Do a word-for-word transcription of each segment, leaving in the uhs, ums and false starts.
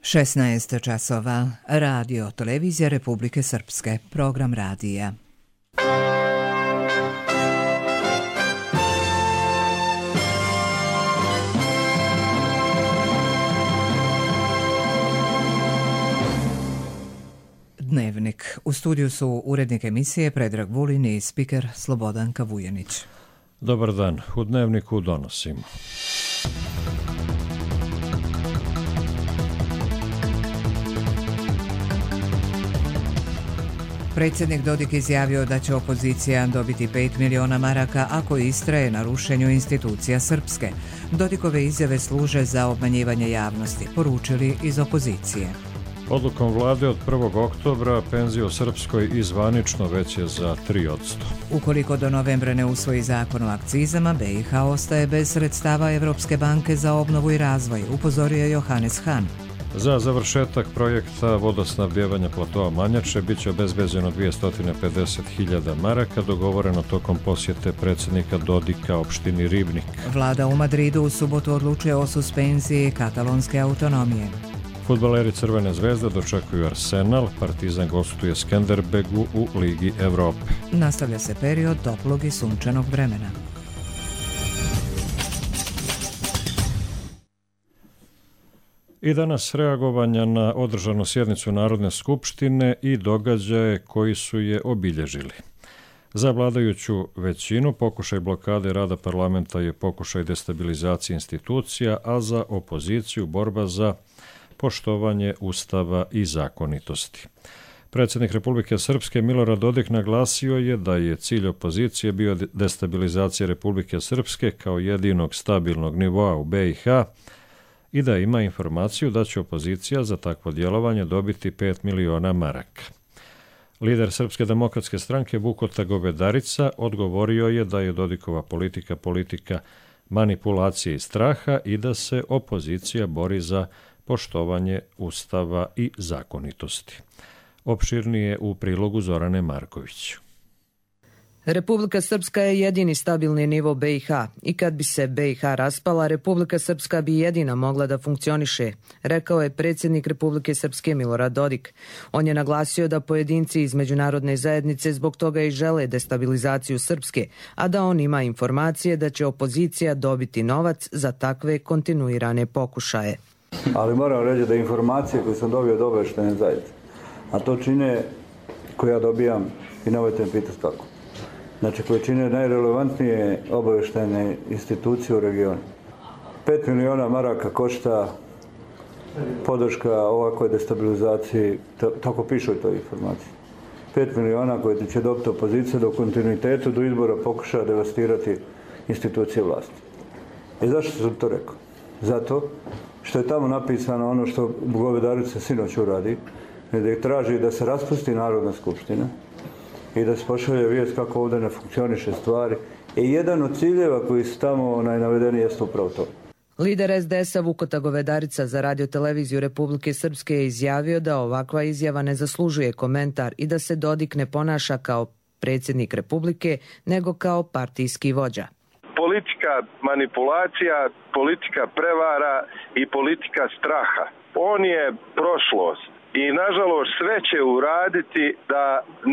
šesnaest časova. Radio Televizija Republike Srpske. Program radija. Dnevnik. U studiju su urednik emisije Predrag Vulin i spiker Slobodanka Vujanić. Dobar dan. U Dnevniku donosimo. Predsjednik Dodik izjavio da će opozicija dobiti pet miliona maraka ako istraje na rušenju institucija Srpske. Dodikove izjave služe za obmanjivanje javnosti, poručili iz opozicije. Odlukom vlade od prvog oktobra penzije u Srpskoj i zvanično veće za tri posto. Ukoliko do novembra ne usvoji zakon o akcizama, B i H ostaje bez sredstava Evropske banke za obnovu i razvoj, upozorio Johannes Hahn. Za završetak projekta vodosnabdjevanja platoa Manjače bit će obezbeđeno dvjesto pedeset hiljada maraka, dogovoreno tokom posjete predsjednika Dodika opštini Ribnik. Vlada u Madridu u subotu odlučuje o suspenziji katalonske autonomije. Fudbaleri Crvene zvezde dočekuju Arsenal, Partizan gostuje Skenderbegu u Ligi Evrope. Nastavlja se period toplog i sunčanog vremena. I danas reagovanja na održanu sjednicu Narodne skupštine i događaje koji su je obilježili. Za vladajuću većinu pokušaj blokade rada parlamenta je pokušaj destabilizacije institucija, a za opoziciju borba za poštovanje Ustava i zakonitosti. Predsjednik Republike Srpske Milorad Dodik naglasio je da je cilj opozicije bio destabilizacija Republike Srpske kao jedinog stabilnog nivoa u B i H i da ima informaciju da će opozicija za takvo djelovanje dobiti pet miliona maraka. Lider Srpske demokratske stranke Vukota Govedarica odgovorio je da je Dodikova politika politika manipulacije i straha i da se opozicija bori za poštovanje Ustava i zakonitosti. Opširnije u prilogu Zorane Marković. Republika Srpska je jedini stabilni nivo B i H i kad bi se B i H raspala, Republika Srpska bi jedina mogla da funkcioniše, rekao je predsjednik Republike Srpske Milorad Dodik. On je naglasio da pojedinci iz međunarodne zajednice zbog toga i žele destabilizaciju Srpske, a da on ima informacije da će opozicija dobiti novac za takve kontinuirane pokušaje. Ali moram reći da informacije koje sam dobio od obavještajne zajednice, a to čine koje ja dobijam i nemojte me pitati kako. Znači koje čine najrelevantnije obavještajne institucije u regionu. Pet miliona maraka košta podrška ovakvoj destabilizaciji, tako piše u toj informaciji. Pet miliona koje će dobiti opozicija do kontinuitetu do izbora pokušava devastirati institucije vlasti. I zašto sam to rekao? Zato što je tamo napisano ono što Govedarica sinoć uradi, da traži da se raspusti Narodna skupština i da se pošalje vijest kako ovdje ne funkcioniše stvari. I jedan od ciljeva koji su tamo navedeni jeste upravo to. Lider S D S-a Vukota Govedarica za Radio Televiziju Republike Srpske je izjavio da ovakva izjava ne zaslužuje komentar i da se Dodik ne ponaša kao predsjednik Republike, nego kao partijski vođa. Politika manipulacija, politika prevara i politika straha. On je prošlost i nažalost sve će uraditi da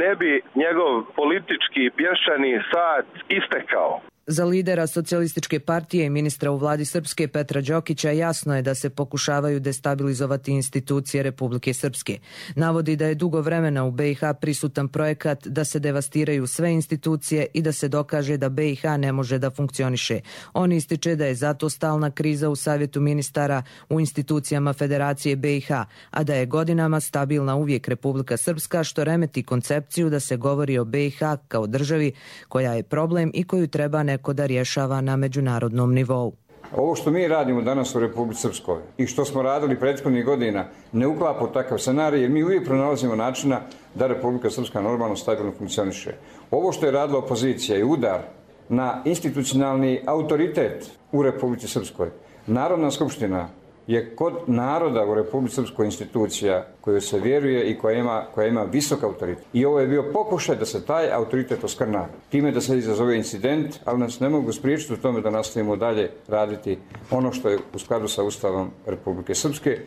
ne bi njegov politički pješčani sat istekao. Za lidera Socijalističke partije i ministra u vladi Srpske Petra Đokića jasno je da se pokušavaju destabilizovati institucije Republike Srpske. Navodi da je dugo vremena u B i H prisutan projekat da se devastiraju sve institucije i da se dokaže da B i H ne može da funkcioniše. On ističe da je zato stalna kriza u Savjetu ministara u institucijama Federacije B i H, a da je godinama stabilna uvijek Republika Srpska, što remeti koncepciju da se govori o B i H kao državi koja je problem i koju treba neko da rješava na međunarodnom nivou. Ovo što mi radimo danas u Republici Srpskoj i što smo radili prethodnih godina ne uklapa u takav scenarij, jer mi uvijek pronalazimo načina da Republika Srpska normalno stabilno funkcioniše. Ovo što je radila opozicija je udar na institucionalni autoritet u Republici Srpskoj. Narodna skupština je kod naroda u Republici Srpskoj institucija koju se vjeruje i koja ima, koja ima visok autoritet. I ovo je bio pokušaj da se taj autoritet oskrna. Time da se izazove incident, ali nas ne mogu spriječiti u tome da nastavimo dalje raditi ono što je u skladu sa Ustavom Republike Srpske.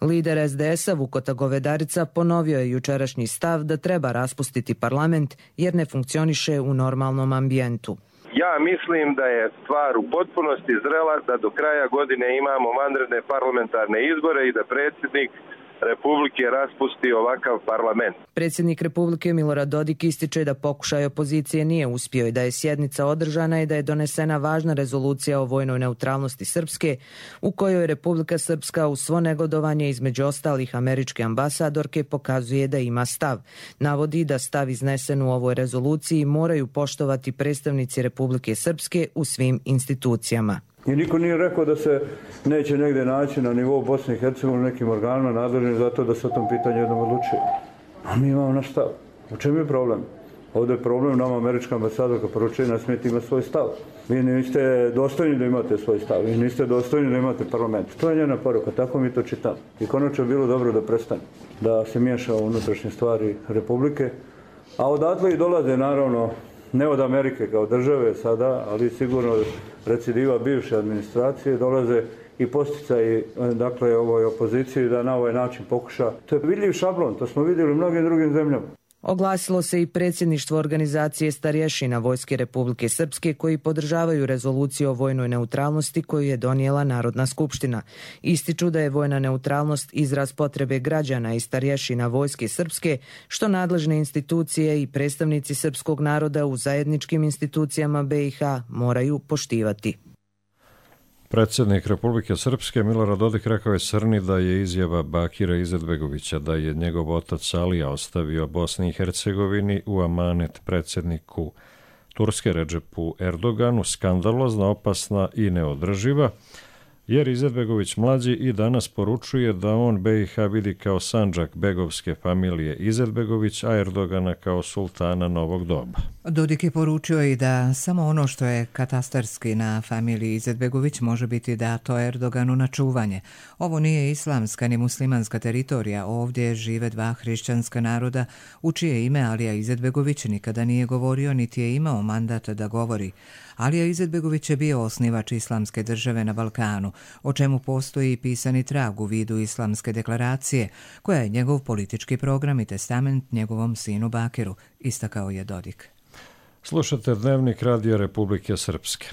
Lider es de es a Vukota Govedarica ponovio je jučerašnji stav da treba raspustiti parlament jer ne funkcioniše u normalnom ambijentu. Ja mislim da je stvar u potpunosti zrela da do kraja godine imamo vanredne parlamentarne izbore i da predsjednik Republike raspusti ovakav parlament. Predsjednik Republike Milorad Dodik ističe da pokušaj opozicije nije uspio i da je sjednica održana i da je donesena važna rezolucija o vojnoj neutralnosti Srpske u kojoj Republika Srpska uz svo negodovanje između ostalih američke ambasadorke pokazuje da ima stav. Navodi da stav iznesen u ovoj rezoluciji moraju poštovati predstavnici Republike Srpske u svim institucijama. I niko nije rekao da se neće negdje naći na nivou Bosne i Hercegovine nekim organima nadležnim za to da se o tom pitanju jednom odlučuje. A mi imamo naš stav. U čemu je problem? Ovdje je problem nama američka ambasadorka poručuje ne smijete imati svoj stav. Vi niste dostojni da imate svoj stav. Vi niste dostojni da imate parlament. To je njena poruka, tako mi to čitamo. I konačno je bilo dobro da prestane, da se miješa u unutrašnje stvari Republike. A odatle i dolaze naravno ne od Amerike kao države sada, ali sigurno recidiva bivše administracije, dolaze i posticaji dakle ovoj opoziciji da na ovaj način pokuša. To je vidljiv šablon, to smo vidjeli u mnogim drugim zemljama. Oglasilo se i predsjedništvo organizacije starješina Vojske Republike Srpske koji podržavaju rezoluciju o vojnoj neutralnosti koju je donijela Narodna skupština. Ističu da je vojna neutralnost izraz potrebe građana i starješina Vojske Srpske, što nadležne institucije i predstavnici srpskog naroda u zajedničkim institucijama be i ha moraju poštivati. Predsjednik Republike Srpske Milorad Dodik rekao je Srni da je izjava Bakira Izetbegovića da je njegov otac Alija ostavio Bosni i Hercegovini u amanet predsjedniku Turske Redžepu Erdoganu skandalozna, opasna i neodrživa, jer Izetbegović mlađi i danas poručuje da on be i ha vidi kao sandžak begovske familije Izetbegović, a Erdogana kao sultana novog doba. Dodik je poručio i da samo ono što je katastarski na familiji Izetbegović može biti dato Erdoganu na čuvanje. Ovo nije islamska ni muslimanska teritorija, ovdje žive dva hrišćanska naroda u čije ime Alija Izetbegović nikada nije govorio niti je imao mandat da govori. Alija Izetbegović je bio osnivač islamske države na Balkanu, o čemu postoji pisani trag u vidu islamske deklaracije, koja je njegov politički program i testament njegovom sinu Bakiru, istakao je Dodik. Slušate Dnevnik Radija Republike Srpske.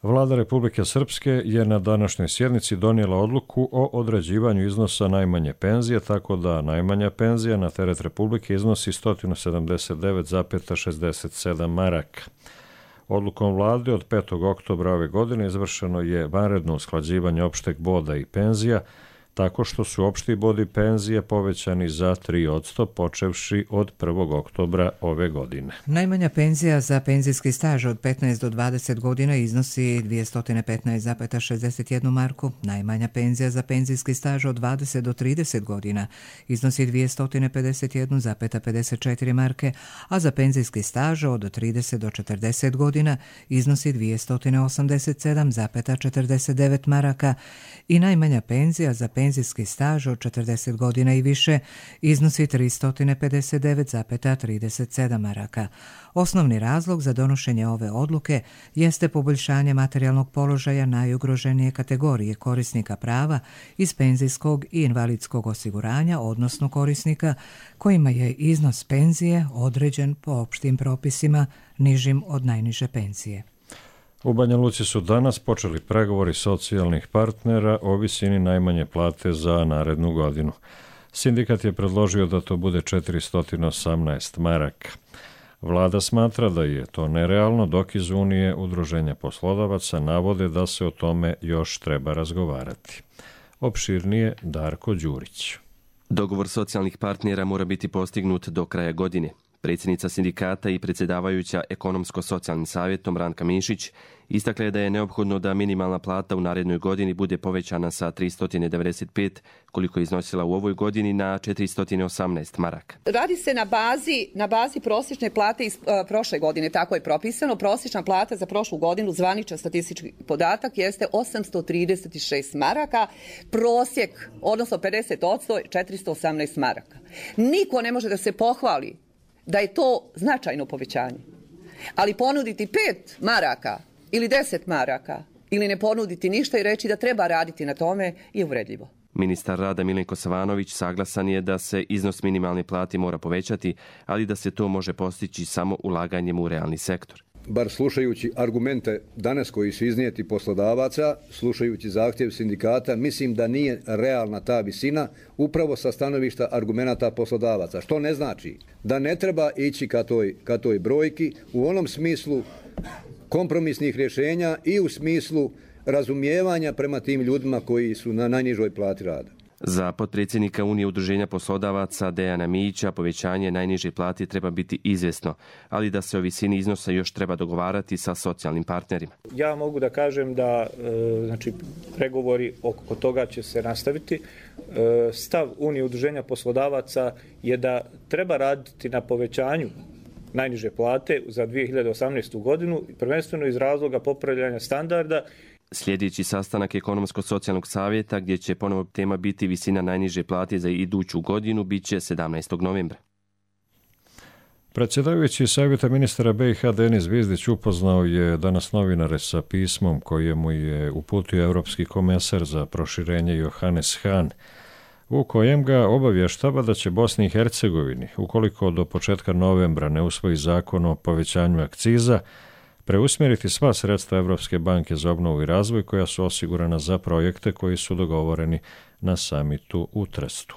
Vlada Republike Srpske je na današnjoj sjednici donijela odluku o određivanju iznosa najmanje penzije, tako da najmanja penzija na teret Republike iznosi sto sedamdeset devet zarez šezdeset sedam maraka. Odlukom vlade od petog oktobra ove godine izvršeno je vanredno usklađivanje opšteg boda i penzija, tako što su opšti bod i penzije povećani za tri posto počevši od prvog oktobra ove godine. Najmanja penzija za penzijski staž od petnaest do dvadeset godina iznosi dvjesto petnaest zarez šezdeset jednu marku, najmanja penzija za penzijski staž od dvadeset do trideset godina iznosi dvjesto pedeset jedan zarez pedeset četiri marke, a za penzijski staž od trideset do četrdeset godina iznosi dvjesto osamdeset sedam zarez četrdeset devet maraka i najmanja penzija za penzijski staž od četrdeset godina i više iznosi tristo pedeset devet zarez trideset sedam maraka. Osnovni razlog za donošenje ove odluke jeste poboljšanje materijalnog položaja najugroženije kategorije korisnika prava iz penzijskog i invalidskog osiguranja, odnosno korisnika kojima je iznos penzije određen po opštim propisima nižim od najniže penzije. U Banja Luci su danas počeli pregovori socijalnih partnera o visini najmanje plate za narednu godinu. Sindikat je predložio da to bude četiristo osamnaest maraka. Vlada smatra da je to nerealno, dok iz Unije udruženja poslodavaca navode da se o tome još treba razgovarati. Opširnije Darko Đurić. Dogovor socijalnih partnera mora biti postignut do kraja godine. Predsjednica sindikata i predsjedavajuća ekonomsko-socijalnim savjetom Ranka Mišić istakla je da je neophodno da minimalna plata u narednoj godini bude povećana sa tristo devedeset pet, koliko je iznosila u ovoj godini, na četiristo osamnaest maraka. Radi se na bazi, na bazi prosječne plate iz uh, prošle godine, tako je propisano. Prosječna plata za prošlu godinu, zvaničan statistički podatak, jeste osamsto trideset šest maraka, prosjek, odnosno pedeset posto, četiristo osamnaest maraka. Niko ne može da se pohvali da je to značajno povećanje. Ali ponuditi pet maraka ili deset maraka ili ne ponuditi ništa i reći da treba raditi na tome je uvredljivo. Ministar rada Milenko Savanović saglasan je da se iznos minimalne plate mora povećati, ali da se to može postići samo ulaganjem u realni sektor. Bar slušajući argumente danas koji su iznijeti poslodavaca, slušajući zahtjev sindikata, mislim da nije realna ta visina upravo sa stanovišta argumenata poslodavaca. Što ne znači da ne treba ići ka toj, ka toj brojki u onom smislu kompromisnih rješenja i u smislu razumijevanja prema tim ljudima koji su na najnižoj plati rada. Za potpredsjednika Unije udruženja poslodavaca Dejana Mijića povećanje najniže plate treba biti izvjesno, ali da se o visini iznosa još treba dogovarati sa socijalnim partnerima. Ja mogu da kažem da znači, pregovori oko toga će se nastaviti. Stav Unije udruženja poslodavaca je da treba raditi na povećanju najniže plate za dvije hiljade osamnaestu. godinu, prvenstveno iz razloga popravljanja standarda. Sljedeći sastanak Ekonomsko-socijalnog savjeta, gdje će ponovo tema biti visina najniže plate za iduću godinu, bit će sedamnaestog novembra. Predsjedavajući savjeta ministara B i H Denis Zvizdić upoznao je danas novinare sa pismom kojemu je uputio Europski komesar za proširenje Johannes Hahn, u kojem ga obavještava da će Bosni i Hercegovini, ukoliko do početka novembra ne usvoji zakon o povećanju akciza, preusmjeriti sva sredstva Europske banke za obnovu i razvoj koja su osigurana za projekte koji su dogovoreni na samitu u Trestu.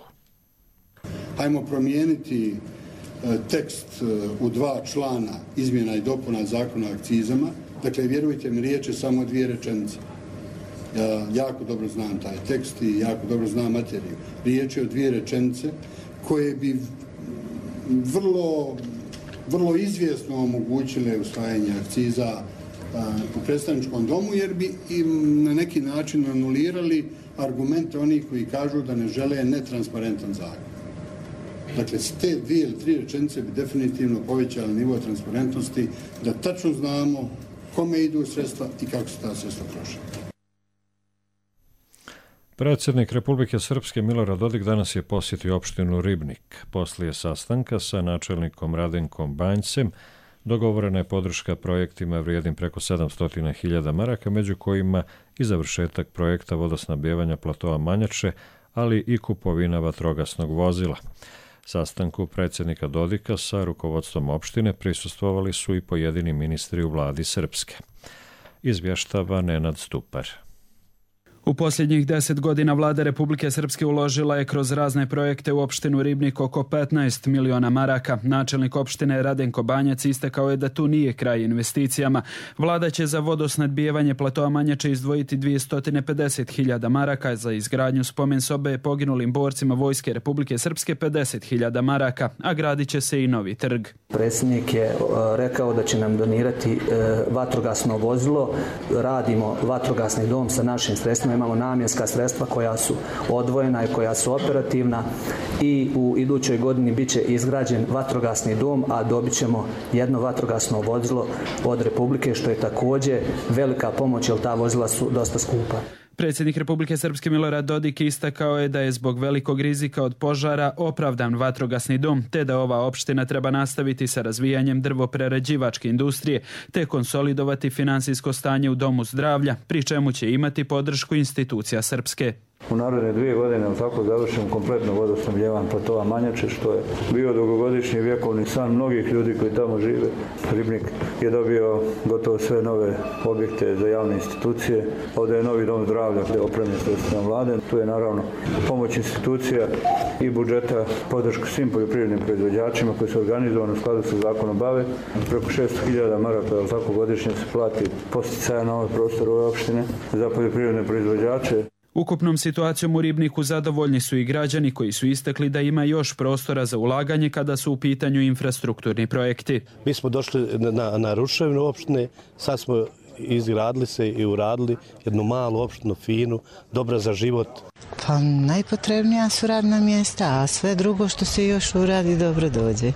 Hajmo promijeniti tekst u dva člana izmjena i dopuna zakona o akcizama. Dakle, vjerujte mi, riječ je samo dvije rečenice. Ja jako dobro znam taj tekst i jako dobro znam materiju. Riječ je o dvije rečenice koje bi vrlo... vrlo izvjesno omogućile usvajanje akciza u predstavničkom domu, jer bi im na neki način anulirali argumente onih koji kažu da ne žele netransparentan zakon. Dakle, s te dvije ili tri rečenice bi definitivno povećali nivo transparentnosti, da tačno znamo kome idu sredstva i kako se ta sredstva troše. Predsjednik Republike Srpske Milorad Dodik danas je posjetio opštinu Ribnik. Poslije sastanka sa načelnikom Radenkom Banjcem dogovorena je podrška projektima vrijednim preko sedamsto hiljada maraka, među kojima i završetak projekta vodosnabdijevanja platoa Manjače, ali i kupovina vatrogasnog vozila. Sastanku predsjednika Dodika sa rukovodstvom opštine prisustvovali su i pojedini ministri u vladi Srpske. Izvještava Nenad Stupar. U posljednjih deset godina vlada Republike Srpske uložila je kroz razne projekte u opštinu Ribnik oko petnaest miliona maraka. Načelnik opštine Radenko Banjac istakao je da tu nije kraj investicijama. Vlada će za vodosnadbijevanje platoa Manjače izdvojiti dvjesto pedeset hiljada maraka, za izgradnju spomen sobe poginulim borcima Vojske Republike Srpske pedeset hiljada maraka, a gradit će se i novi trg. Predsjednik je rekao da će nam donirati vatrogasno vozilo. Radimo vatrogasni dom sa našim sredstvima. Imamo namjenska sredstva koja su odvojena i koja su operativna i u idućoj godini bit će izgrađen vatrogasni dom, a dobit ćemo jedno vatrogasno vozilo od Republike, što je također velika pomoć jer ta vozila su dosta skupa. Predsjednik Republike Srpske Milorad Dodik istakao je da je zbog velikog rizika od požara opravdan vatrogasni dom, te da ova opština treba nastaviti sa razvijanjem drvoprerađivačke industrije, te konsolidovati finansijsko stanje u domu zdravlja, pri čemu će imati podršku institucija Srpske. U naredne dvije godine tako završimo kompletno vodosnabdijevanje platoa Manjače, što je bio dugogodišnji vjekovni san mnogih ljudi koji tamo žive. Ribnik je dobio gotovo sve nove objekte za javne institucije. Ovdje je novi dom zdravlja gdje je opremljen sredstvima vlade. Tu je naravno pomoć institucija i budžeta, podršku svim poljoprivrednim proizvođačima koji su organizovani u skladu sa zakonom bave. Preko šesto hiljada maraka tako godišnje se plati posticaja na ovaj prostor ove opštine za poljoprivredne proizvođače. Ukupnom situacijom u Ribniku zadovoljni su i građani koji su istakli da ima još prostora za ulaganje kada su u pitanju infrastrukturni projekti. Mi smo došli na, na ruševinu opštine, sad smo izgradili se i uradili jednu malu opštinu, finu, dobra za život. Pa najpotrebnija su radna mjesta, a sve drugo što se još uradi dobro dođe.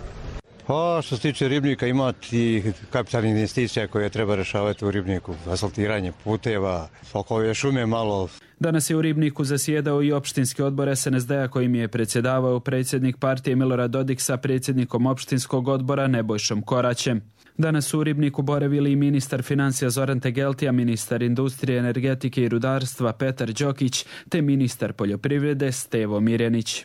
Pa što se tiče Ribnika imati kapitalnih investicija koje treba rešavati u Ribniku, asfaltiranje puteva, oko ove šume malo. Danas je u Ribniku zasjedao i opštinski odbor S N S D-a kojim je predsjedavao predsjednik partije Milorad Dodik sa predsjednikom opštinskog odbora Nebojšom Koraćem. Danas su u Ribniku boravili i ministar financija Zoran Tegeltija, ministar industrije, energetike i rudarstva Petar Đokić te ministar poljoprivrede Stevo Mirjanić.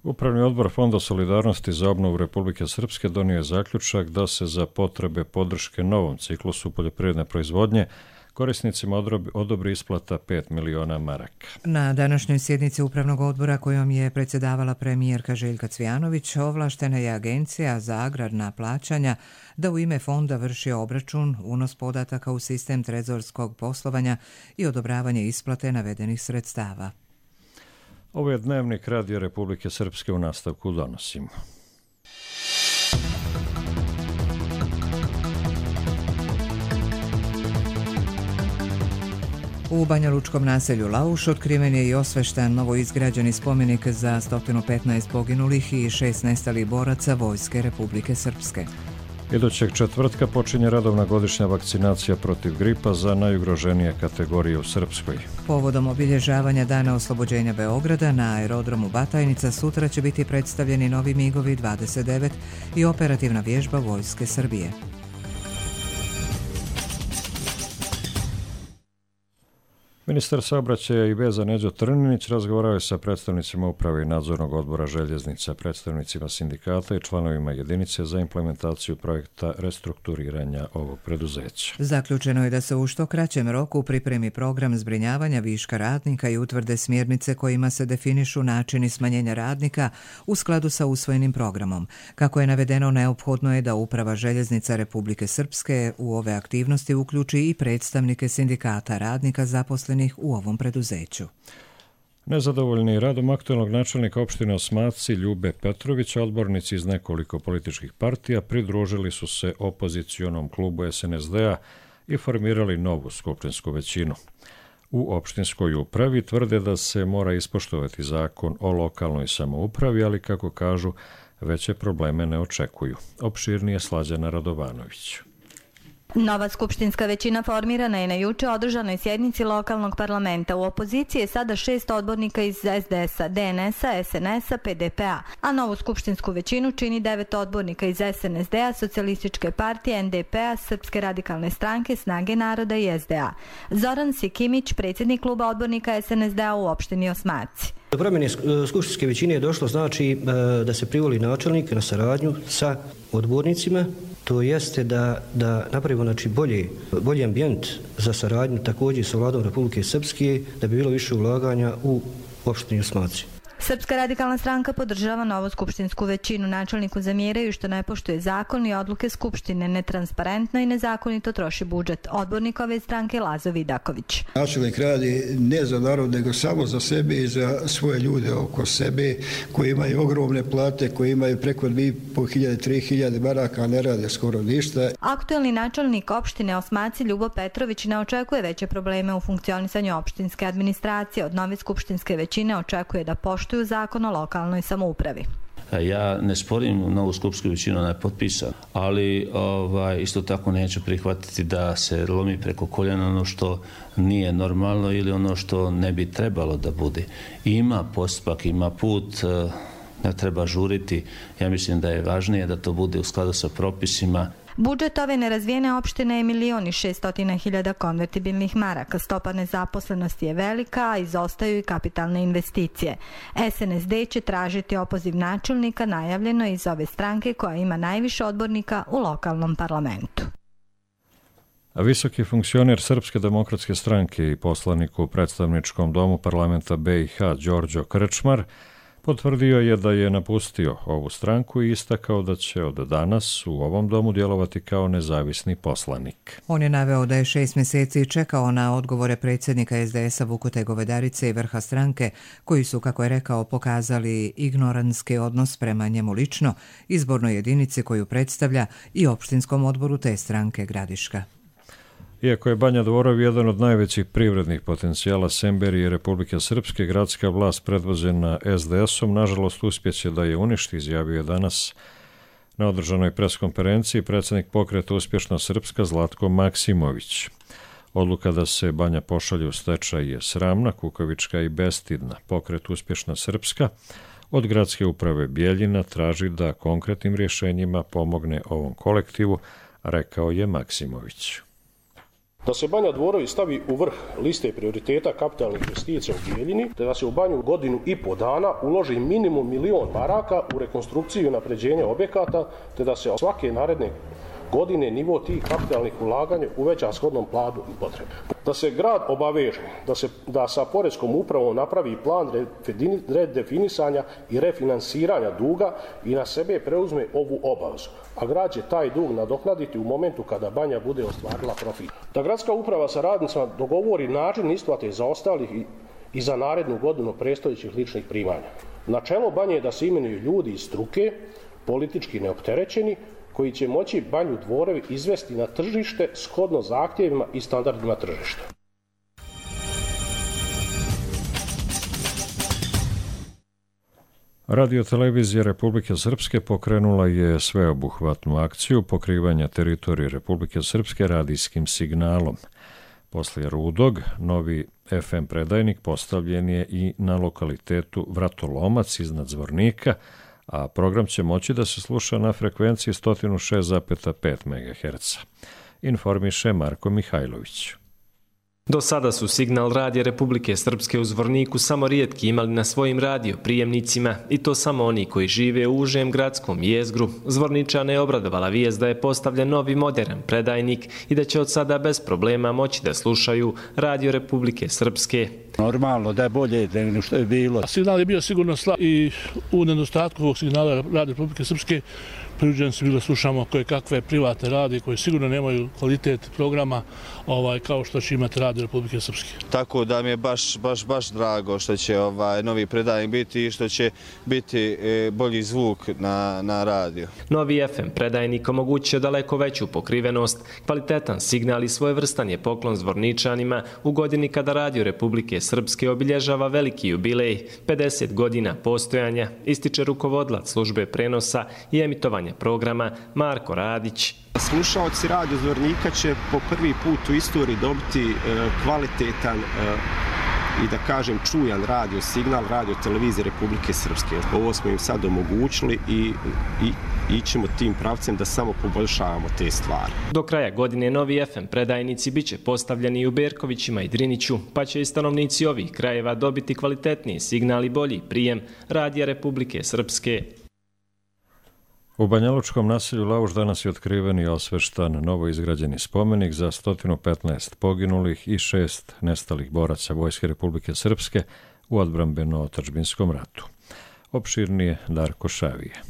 Upravni odbor Fonda solidarnosti za obnovu Republike Srpske donio je zaključak da se za potrebe podrške novom ciklusu poljoprivredne proizvodnje korisnicima odobri isplata pet miliona maraka. Na današnjoj sjednici Upravnog odbora kojom je predsjedavala premijerka Željka Cvijanović, ovlaštena je Agencija za agrarna plaćanja da u ime fonda vrši obračun, unos podataka u sistem trezorskog poslovanja i odobravanje isplate navedenih sredstava. Ovo je Dnevnik Radija Republike Srpske, u nastavku donosimo. U banjalučkom naselju Lauš otkriven je i osvešten novoizgrađeni spomenik za sto petnaest poginulih i šest nestalih boraca Vojske Republike Srpske. Idućeg četvrtka počinje redovna godišnja vakcinacija protiv gripa za najugroženije kategorije u Srpskoj. Povodom obilježavanja Dana oslobođenja Beograda na aerodromu Batajnica sutra će biti predstavljeni novi migovi dvadeset devet i operativna vježba Vojske Srbije. Ministar saobraćaja i veza Neđo Trninić razgovarao je sa predstavnicima uprave i nadzornog odbora željeznica, predstavnicima sindikata i članovima jedinice za implementaciju projekta restrukturiranja ovog preduzeća. Zaključeno je da se u što kraćem roku pripremi program zbrinjavanja viška radnika i utvrde smjernice kojima se definišu načini smanjenja radnika u skladu sa usvojenim programom. Kako je navedeno, neophodno je da Uprava željeznica Republike Srpske u ove aktivnosti uključi i predstavnike sindikata radnika zaposlenih u ovom preduzeću. Nezadovoljni radom aktualnog načelnika opštine Osmaci Ljube Petrovića, odbornici iz nekoliko političkih partija pridružili su se opozicionom klubu S N S D-a i formirali novu skupštinsku većinu. U opštinskoj upravi tvrde da se mora ispoštovati zakon o lokalnoj samoupravi, ali kako kažu, veće probleme ne očekuju. Opširnije Slađana Radovanović. Nova skupštinska većina formirana je na juče održanoj sjednici lokalnog parlamenta. U opoziciji je sada šest odbornika iz S D S-a, D N S-a, S N S-a, P D P-a, a novu skupštinsku većinu čini devet odbornika iz S N S D-a, Socijalističke partije, N D P-a, Srpske radikalne stranke, Snage naroda i S D A. Zoran Sikimić, predsjednik kluba odbornika S N S D-a u opštini Osmaci. Do promjene skupštinske većine je došlo znači da se privoli načelnik na saradnju sa odbornicima. To jeste da, da napravimo znači, bolji, bolji ambijent za saradnju također sa vladom Republike Srpske, da bi bilo više ulaganja u opštini Osmaci. Srpska radikalna stranka podržava novu skupštinsku većinu. Načelniku zamjeraju što ne poštuje zakon i odluke skupštine, netransparentno i nezakonito troši budžet. Odbornik ove stranke Lazo Vidaković. Načelnik radi ne za narod, nego samo za sebe i za svoje ljude oko sebe, koji imaju ogromne plate, koji imaju preko dvije i po hiljade, tri hiljade maraka, a ne rade skoro ništa. Aktuelni načelnik opštine Osmaci Ljubo Petrović ne očekuje veće probleme u funkcionisanju opštinske administracije. Od nove skupštinske većine očekuje da poštuje u zakon o lokalnoj samoupravi. Ja ne sporim novu skupštinsku većinu, ona je potpisana, ali ovaj, isto tako neću prihvatiti da se lomi preko koljena ono što nije normalno ili ono što ne bi trebalo da bude. Ima postupak, ima put, ne treba žuriti. Ja mislim da je važnije da to bude u skladu sa propisima. Budžet ove nerazvijene opštine je milion i šeststotina hiljada konvertibilnih maraka. Stopa nezaposlenosti je velika, a izostaju i kapitalne investicije. S N S D će tražiti opoziv načelnika, najavljeno iz ove stranke koja ima najviše odbornika u lokalnom parlamentu. A visoki funkcioner Srpske demokratske stranke i poslanik u predstavničkom domu parlamenta B i H Đorđo Krčmar potvrdio je da je napustio ovu stranku i istakao da će od danas u ovom domu djelovati kao nezavisni poslanik. On je naveo da je šest mjeseci čekao na odgovore predsjednika S D S-a Vukute Govedarice i vrha stranke, koji su, kako je rekao, pokazali ignorantski odnos prema njemu lično, izbornoj jedinici koju predstavlja i opštinskom odboru te stranke Gradiška. Iako je Banja Dvorov jedan od najvećih privrednih potencijala Semberije i Republike Srpske, gradska vlast predvođena S D S-om nažalost uspjeće da je uništi, izjavio je danas na održanoj preskonferenciji predsjednik pokreta Uspješna Srpska Zlatko Maksimović. Odluka da se Banja pošalje u stečaj je sramna, kukavička i bestidna. Pokret Uspješna Srpska od Gradske uprave Bijeljina traži da konkretnim rješenjima pomogne ovom kolektivu, rekao je Maksimović. Da se Banja Dvorovi stavi u vrh liste prioriteta kapitalnih investicija u Bijeljini, te da se u Banju godinu i po dana uloži minimum milion maraka u rekonstrukciju i napređenje objekata, te da se svake naredne godine nivo tih kapitalnih ulaganja uveća shodnom planu i potrebe. Da se grad obaveže da se da sa poreskom upravom napravi plan redefinisanja i refinansiranja duga i na sebe preuzme ovu obavezu, a grad će taj dug nadoknaditi u momentu kada Banja bude ostvarila profit. Da gradska uprava sa radnicima dogovori način isplate zaostalih i, i za narednu godinu predstojećih ličnih primanja. Načelo Banje je da se imenuju ljudi iz struke, politički neopterećeni, koji će moći Banju Dvorovi izvesti na tržište shodno zahtjevima i standardima tržišta. Radio-televizija Republike Srpske pokrenula je sveobuhvatnu akciju pokrivanja teritorije Republike Srpske radijskim signalom. Poslije Rudog, novi F M predajnik postavljen je i na lokalitetu Vratolomac iznad Zvornika, a program će moći da se sluša na frekvenciji sto šest zarez pet megaherca. Informiše Marko Mihajlović. Do sada su signal radija Republike Srpske u Zvorniku samo rijetki imali na svojim radio prijemnicima i to samo oni koji žive u užem gradskom jezgru. Zvorničane je obradovala vijest da je postavljen novi modern predajnik i da će od sada bez problema moći da slušaju radio Republike Srpske. Normalno da je bolje nego što je bilo. Signal je bio sigurno slab i u nedostatku ovog signala radio Republike Srpske priuđeni su bili slušamo koje kakve privatne radije koje sigurno nemaju kvalitet programa ovaj, kao što će imati radio Republike Srpske. Tako da mi je baš, baš, baš drago što će ovaj novi predajnik biti i što će biti e, bolji zvuk na, na radio. Novi F M predajnik omogućuje daleko veću pokrivenost, kvalitetan signal i svojevrstan je poklon Zvorničanima u godini kada radio Republike Srpske obilježava veliki jubilej, pedeset godina postojanja, ističe rukovodilac službe prenosa i emitovanja programa Marko Radić. Slušaoci radio Zvornika će po prvi put u istoriji dobiti e, kvalitetan e, i da kažem čujan radio signal radio televizije Republike Srpske. Ovo smo im sad omogućili i, i ićemo tim pravcem da samo poboljšavamo te stvari. Do kraja godine novi F M predajnici biće postavljeni u Berkovićima i Driniću, pa će i stanovnici ovih krajeva dobiti kvalitetniji signal i bolji prijem radija Republike Srpske. U banjalučkom naselju Lauš danas je otkriven i osveštan novo izgrađeni spomenik za sto petnaest poginulih i šest nestalih boraca Vojske Republike Srpske u odbrambeno-otadžbinskom ratu. Opširnije Darko Šavije.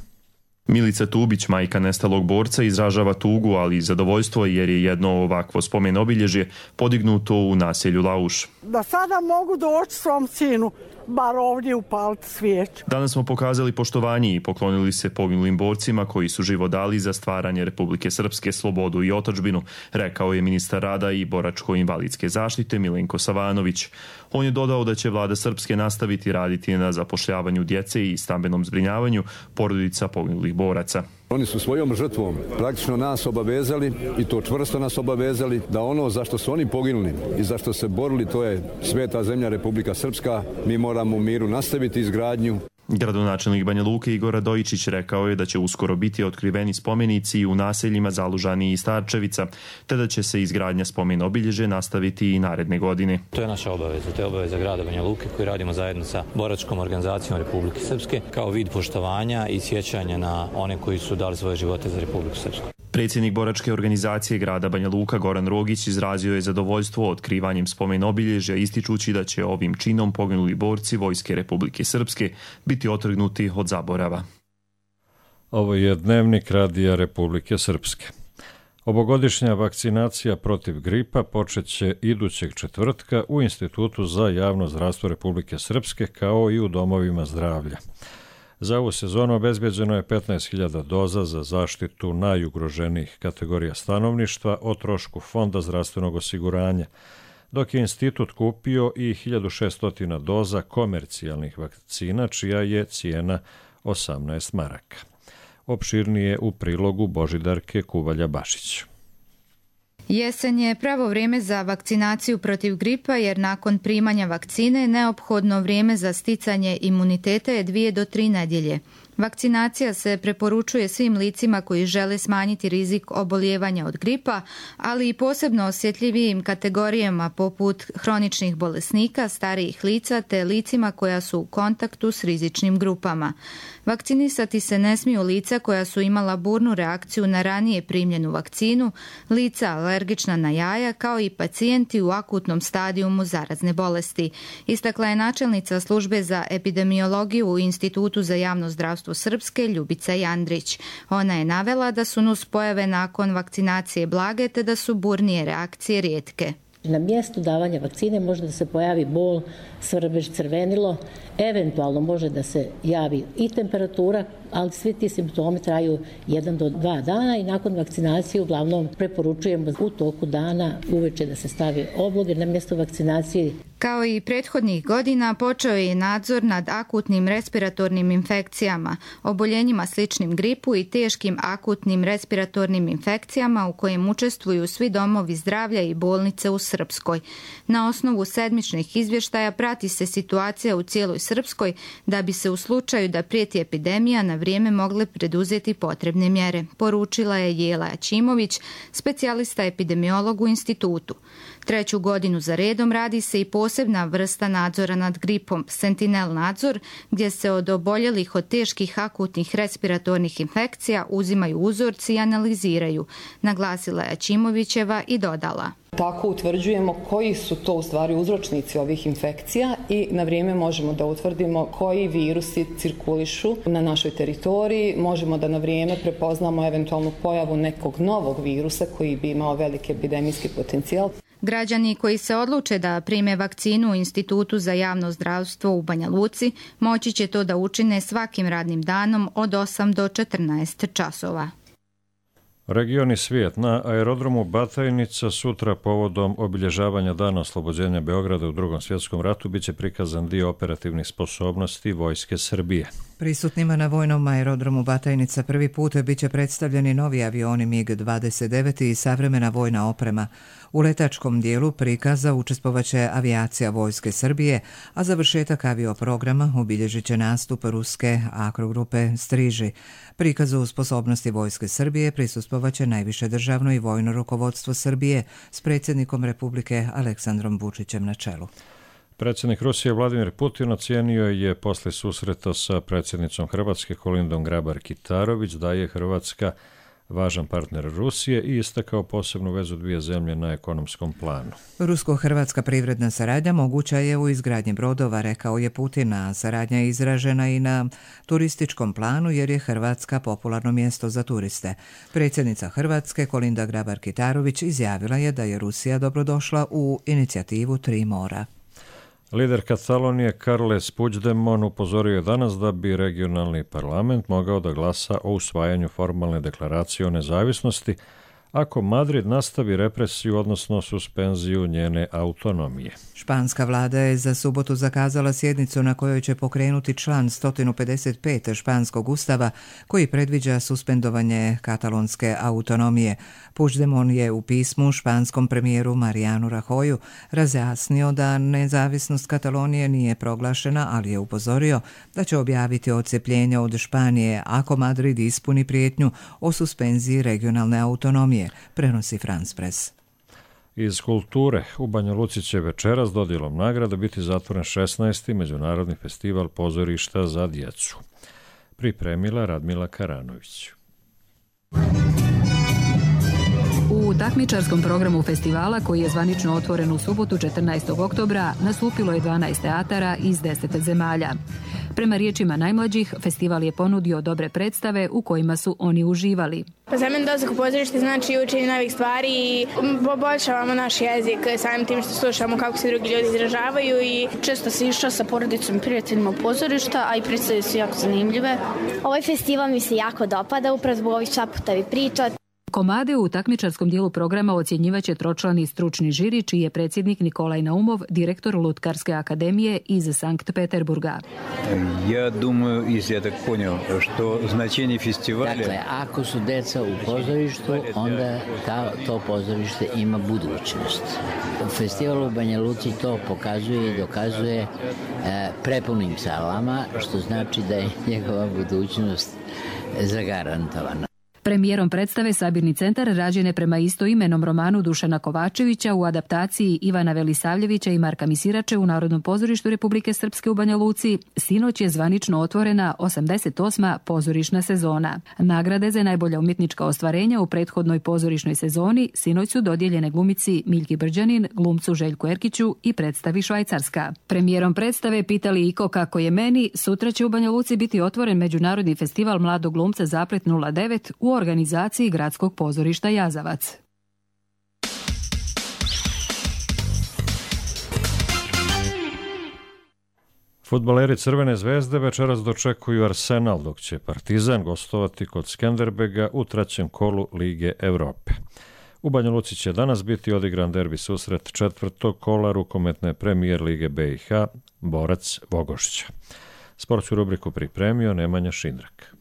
Milica Tubić, majka nestalog borca, izražava tugu, ali i zadovoljstvo jer je jedno ovakvo spomen obilježje podignuto u naselju Lauš. Da sada mogu doći svom sinu, bar ovdje upaliti svijeću. Danas smo pokazali poštovanje i poklonili se poginulim borcima koji su život dali za stvaranje Republike Srpske, slobodu i otadžbinu, rekao je ministar rada i boračko-invalidske zaštite Milenko Savanović. On je dodao da će vlada Srpske nastaviti raditi na zapošljavanju djece i stambenom zbrinjavanju porodica poginulih boraca. Oni su svojom žrtvom praktično nas obavezali i to čvrsto nas obavezali da ono za što su oni poginuli i za što se borili, to je sveta zemlja Republika Srpska, mi moramo u miru nastaviti izgradnju. Gradonačelnik Banja Luke Igor Radojičić rekao je da će uskoro biti otkriveni spomenici u naseljima Zalužani i Starčevica, te da će se izgradnja spomen obilježe nastaviti i naredne godine. To je naša obaveza, to je obaveza grada Banja Luke koji radimo zajedno sa boračkom organizacijom Republike Srpske kao vid poštovanja i sjećanja na one koji su dali svoje živote za Republiku Srpsku. Predsjednik boračke organizacije grada Banja Luka Goran Rogić izrazio je zadovoljstvo otkrivanjem spomen obilježja, ističući da će ovim činom poginuli borci Vojske Republike Srpske biti otrgnuti od zaborava. Ovo je dnevnik radija Republike Srpske. Ovogodišnja vakcinacija protiv gripa počeće idućeg četvrtka u Institutu za javno zdravstvo Republike Srpske kao i u domovima zdravlja. Za ovu sezonu obezbeđeno je petnaest hiljada doza za zaštitu najugroženijih kategorija stanovništva o trošku Fonda zdravstvenog osiguranja, dok je institut kupio i hiljadu šesto doza komercijalnih vakcina, čija je cijena osamnaest maraka. Opširnije u prilogu Božidarke Kuvalja-Bašić. Jesen je pravo vrijeme za vakcinaciju protiv gripa jer nakon primanja vakcine neophodno vrijeme za sticanje imuniteta je dvije do tri nedjelje. Vakcinacija se preporučuje svim licima koji žele smanjiti rizik obolijevanja od gripa, ali i posebno osjetljivijim kategorijama poput hroničnih bolesnika, starijih lica te licima koja su u kontaktu s rizičnim grupama. Vakcinisati se ne smiju lica koja su imala burnu reakciju na ranije primljenu vakcinu, lica alergična na jaja, kao i pacijenti u akutnom stadijumu zarazne bolesti. Istakla je načelnica službe za epidemiologiju u Institutu za javno zdravstvo Srpske Ljubica Jandrić. Ona je navela da su nuspojave nakon vakcinacije blage te da su burnije reakcije rijetke. Na mjestu davanja vakcine može da se pojavi bol, svrbež, crvenilo, eventualno može da se javi i temperatura, ali svi ti simptomi traju jedan do dva dana i nakon vakcinacije uglavnom preporučujemo u toku dana uveče da se stavi obloge na mjesto vakcinacije. Kao i prethodnih godina počeo je nadzor nad akutnim respiratornim infekcijama, oboljenjima sličnim gripu i teškim akutnim respiratornim infekcijama u kojem učestvuju svi domovi zdravlja i bolnice u Srpskoj. Na osnovu sedmičnih izvještaja prati se situacija u cijeloj Srpskoj da bi se u slučaju da prijeti epidemija na vrijeme mogle preduzeti potrebne mjere, poručila je Jela Aćimović, specijalista epidemiolog u institutu. Treću godinu za redom radi se i posebna vrsta nadzora nad gripom, Sentinel nadzor, gdje se od oboljelih od teških akutnih respiratornih infekcija uzimaju uzorci i analiziraju, naglasila je Aćimovićeva i dodala. Tako utvrđujemo koji su to u stvari uzročnici ovih infekcija i na vrijeme možemo da utvrdimo koji virusi cirkulišu na našoj teritoriji, možemo da na vrijeme prepoznamo eventualnu pojavu nekog novog virusa koji bi imao veliki epidemijski potencijal. Građani koji se odluče da prime vakcinu u Institutu za javno zdravstvo u Banja Luci moći će to da učine svakim radnim danom od osam do četrnaest časova. Region i svijet. Na aerodromu Batajnica sutra povodom obilježavanja dana oslobođenja Beograda u Drugom svjetskom ratu biće prikazan dio operativnih sposobnosti Vojske Srbije. Prisutnima na vojnom aerodromu Batajnica prvi put biće predstavljeni novi avioni MiG dvadeset devet i savremena vojna oprema. U letačkom dijelu prikaza učestvovaće avijacija Vojske Srbije, a završetak avioprograma obilježit će nastup ruske akrogrupe Striži. Prikazu sposobnosti Vojske Srbije prisustvovaće najviše državno i vojno rukovodstvo Srbije s predsjednikom Republike Aleksandrom Vučićem na čelu. Predsjednik Rusije Vladimir Putin ocijenio je posle susreta sa predsjednicom Hrvatske Kolindom Grabar-Kitarović da je Hrvatska važan partner Rusije i istakao posebnu vezu dvije zemlje na ekonomskom planu. Rusko-hrvatska privredna saradnja moguća je u izgradnji brodova, rekao je Putin, a saradnja je izražena i na turističkom planu jer je Hrvatska popularno mjesto za turiste. Predsjednica Hrvatske Kolinda Grabar-Kitarović izjavila je da je Rusija dobrodošla u inicijativu Tri mora. Lider Katalonije Carles Puigdemont upozorio je danas da bi regionalni parlament mogao da glasa o usvajanju formalne deklaracije o nezavisnosti ako Madrid nastavi represiju, odnosno suspenziju njene autonomije. Španska vlada je za subotu zakazala sjednicu na kojoj će pokrenuti član sto pedeset pet španskog ustava koji predviđa suspendovanje katalonske autonomije. Puigdemont je u pismu španskom premijeru Marianu Rajoyu razjasnio da nezavisnost Katalonije nije proglašena, ali je upozorio da će objaviti odcepljenje od Španije ako Madrid ispuni prijetnju o suspenziji regionalne autonomije, prenosi France Press. Iz kulture u Banja Luci će večeras dodjelom nagrada biti zatvoren šesnaesti Međunarodni festival pozorišta za djecu. Pripremila Radmila Karanović. U takmičarskom programu festivala, koji je zvanično otvoren u subotu četrnaestog oktobra, nastupilo je dvanaest teatara iz deset zemalja. Prema riječima najmlađih, festival je ponudio dobre predstave u kojima su oni uživali. Pa za mene dolazak u pozorište znači učenje novih stvari i poboljšavamo naš jezik samim tim što slušamo kako se drugi ljudi izražavaju i često se išla sa porodicom i prijateljima u pozorišta, a i predstave su jako zanimljive. Ovaj festival mi se jako dopada, upravo zbog ovih šaputavih priča. Komade u takmičarskom dijelu programa ocjenjivaće tročlani stručni žiri, čiji je predsjednik Nikolaj Naumov, direktor Lutkarske akademije iz Sankt Peterburga. Ja думаю, если я так понял, что значение фестиваля... Dakle, ako su deca u pozorištu, onda ta, to pozorište ima budućnost. Festival u Banja Luci to pokazuje i dokazuje e, prepunim salama, što znači da je njegova budućnost zagarantovana. Premijerom predstave Sabirni centar rađen je prema istoimenom romanu Dušana Kovačevića u adaptaciji Ivana Velisavljevića i Marka Misirače u Narodnom pozorištu Republike Srpske u Banja Luci. Sinoć je zvanično otvorena osamdeset osma pozorišna sezona. Nagrade za najbolja umjetnička ostvarenja u prethodnoj pozorišnoj sezoni sinoć su dodijeljene glumici Miljki Brđanin, glumcu Željku Erkiću i predstavi Švajcarska. Premijerom predstave Pitali Iko kako je meni, sutra će u Banja Luci biti otvoren Međunarodni festival mladog glumca Zaplet nula devet u organizaciji Gradskog pozorišta Jazavac. Fudbaleri Crvene zvezde večeras dočekuju Arsenal, dok će Partizan gostovati kod Skenderbega u trećem kolu Lige Evrope. U Banja Luci će danas biti odigran derbi susret četvrtog kola rukometne premijer Lige B i H, Borac Vogošća. Sportsku rubriku pripremio Nemanja Šindrak.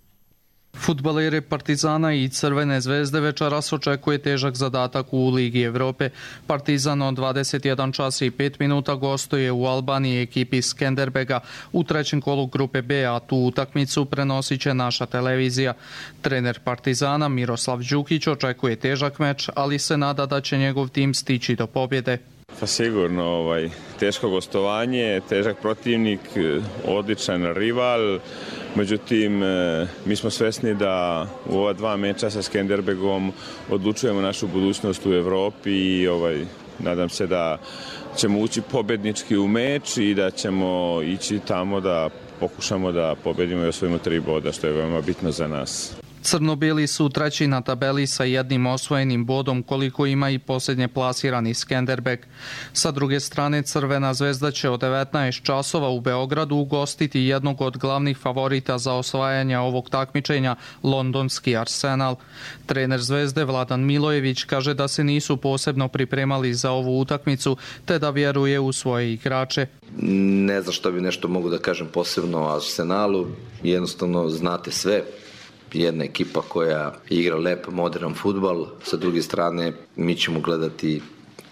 Fudbaleri Partizana i Crvene zvezde večeras očekuje težak zadatak u Ligi Evrope. Partizan od dvadeset jedan čas i pet minuta gostuje u Albaniji ekipi Skenderbega u trećem kolu grupe B, a tu utakmicu prenosit će naša televizija. Trener Partizana Miroslav Đukić očekuje težak meč, ali se nada da će njegov tim stići do pobjede. Pa sigurno, ovaj, teško gostovanje, težak protivnik, odličan rival, međutim mi smo svesni da u ova dva meča sa Skenderbegom odlučujemo našu budućnost u Evropi i ovaj, nadam se da ćemo ući pobednički u meč i da ćemo ići tamo da pokušamo da pobedimo i osvojimo tri boda, što je veoma bitno za nas. Crno-beli su treći na tabeli sa jednim osvojenim bodom, koliko ima i posljednje plasirani Skenderbeg. Sa druge strane, Crvena zvezda će od devetnaest časova u Beogradu ugostiti jednog od glavnih favorita za osvajanje ovog takmičenja, londonski Arsenal. Trener Zvezde Vladan Milojević kaže da se nisu posebno pripremali za ovu utakmicu, te da vjeruje u svoje igrače. Ne znam što bi nešto mogu da kažem posebno o Arsenalu, jednostavno znate sve. Jedna ekipa koja igra lep, modern fudbal, sa druge strane mi ćemo gledati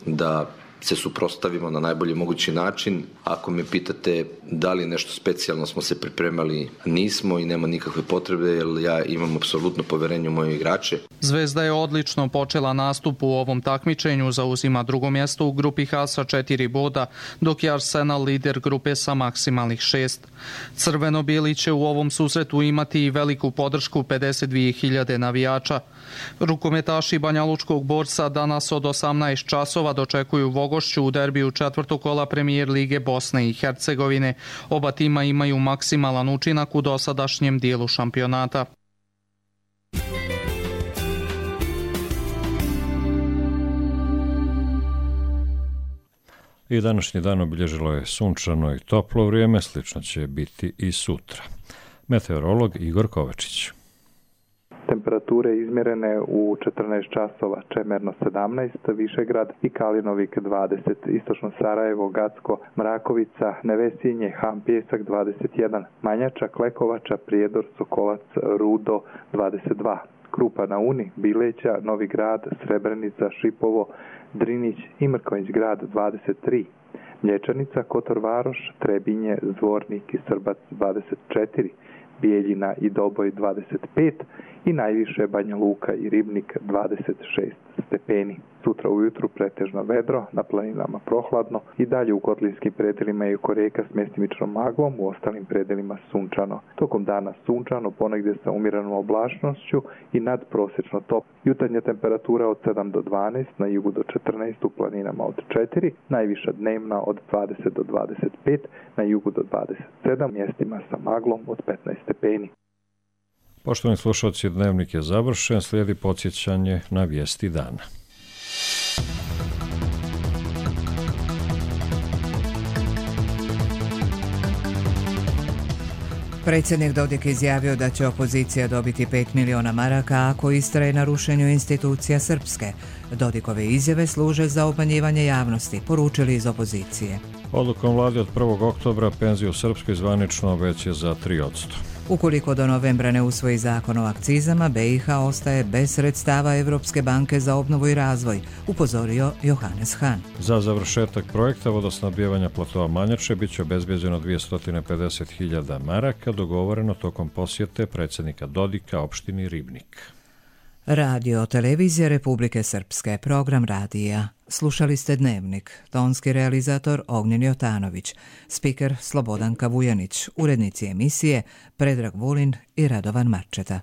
da se suprotstavimo na najbolji mogući način. Ako me pitate da li nešto specijalno smo se pripremali, nismo i nema nikakve potrebe, jer ja imam apsolutno poverenje u moje igrače. Zvezda je odlično počela nastup u ovom takmičenju, zauzima drugo mjesto u grupi H sa četiri boda, dok je Arsenal lider grupe sa maksimalnih šest. Crveno-bijeli će u ovom susretu imati i veliku podršku pedeset dvije hiljade navijača. Rukometaši Banjalučkog Borca danas od osamnaest časova dočekuju Vogošću u derbiju četvrtog kola Premijer Lige Bosne i Hercegovine. Oba tima imaju maksimalan učinak u dosadašnjem dijelu šampionata. I današnji dan obilježilo je sunčano i toplo vrijeme, slično će biti i sutra. Meteorolog Igor Kovačić. Temperature izmjerene u četrnaest časova, Čemerno sedamnaest, Višegrad i Kalinovik dvadeset, Istočno Sarajevo, Gacko, Mrakovica, Nevesinje, Ham Pjesak dvadeset jedan, Manjača, Klekovača, Prijedor, Sokolac, Rudo dvadeset dva, Krupa na Uni, Bileća, Novi Grad, Srebrenica, Šipovo, Drinić i Mrkonjić Grad dvadeset tri, Mlječanica, Kotor Varoš, Trebinje, Zvornik i Srbac dvadeset četiri, Bijeljina i Doboj dvadeset pet i najviše Banja Luka i Ribnik dvadeset šest stepeni. Sutra ujutru pretežno vedro, na planinama prohladno i dalje u kotlinskim predelima i oko reka s mjestimičnom maglom, u ostalim predelima sunčano. Tokom dana sunčano, ponegdje sa umjerenom oblačnošću i nadprosječno top. Jutarnja temperatura od sedam do dvanaest, na jugu do četrnaest, u planinama od četiri, najviša dnevna od dvadeset do dvadeset pet, na jugu do dvadeset sedam, mjestima sa maglom od petnaest stepeni. Poštovani slušalci, dnevnik je završen, slijedi podsjećanje na vijesti dana. Predsjednik Dodik izjavio da će opozicija dobiti pet miliona maraka ako istraje na rušenju institucija Srpske. Dodikove izjave služe za obmanjivanje javnosti, poručili iz opozicije. Odlukom vlade od prvog oktobra penziju u Srpskoj zvanično veće za tri posto. Ukoliko do novembra ne usvoji zakon o akcizama, B i H ostaje bez sredstava Evropske banke za obnovu i razvoj, upozorio Johannes Hahn. Za završetak projekta vodosnabdijevanja platova Manjače biće obezbeđeno dvjesto pedeset hiljada maraka, dogovoreno tokom posjete predsjednika Dodika opštini Ribnik. Radio Televizija Republike Srpske, program radija. Slušali ste Dnevnik, tonski realizator Ognjen Jotanović, spiker Slobodanka Vujanić, urednici emisije Predrag Vulin i Radovan Marčeta.